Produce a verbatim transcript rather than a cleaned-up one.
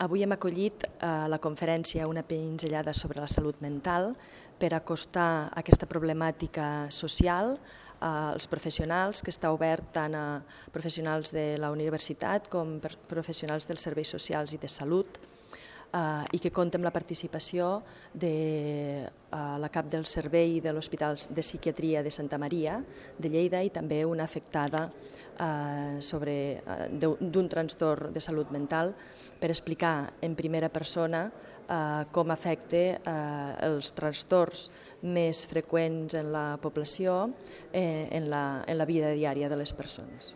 Avui hem acollit a la conferència una pinzellada sobre la salut mental per acostar aquesta problemàtica social als professionals, que està obert tant a professionals de la universitat com a professionals dels serveis socials i de salut, i que compta amb la participació de la cap del servei de l'Hospital de Psiquiatria de Santa Maria de Lleida i també una afectada d'un trastorn de salut mental per explicar en primera persona com afecta els trastorns més freqüents en la població en la vida diària de les persones.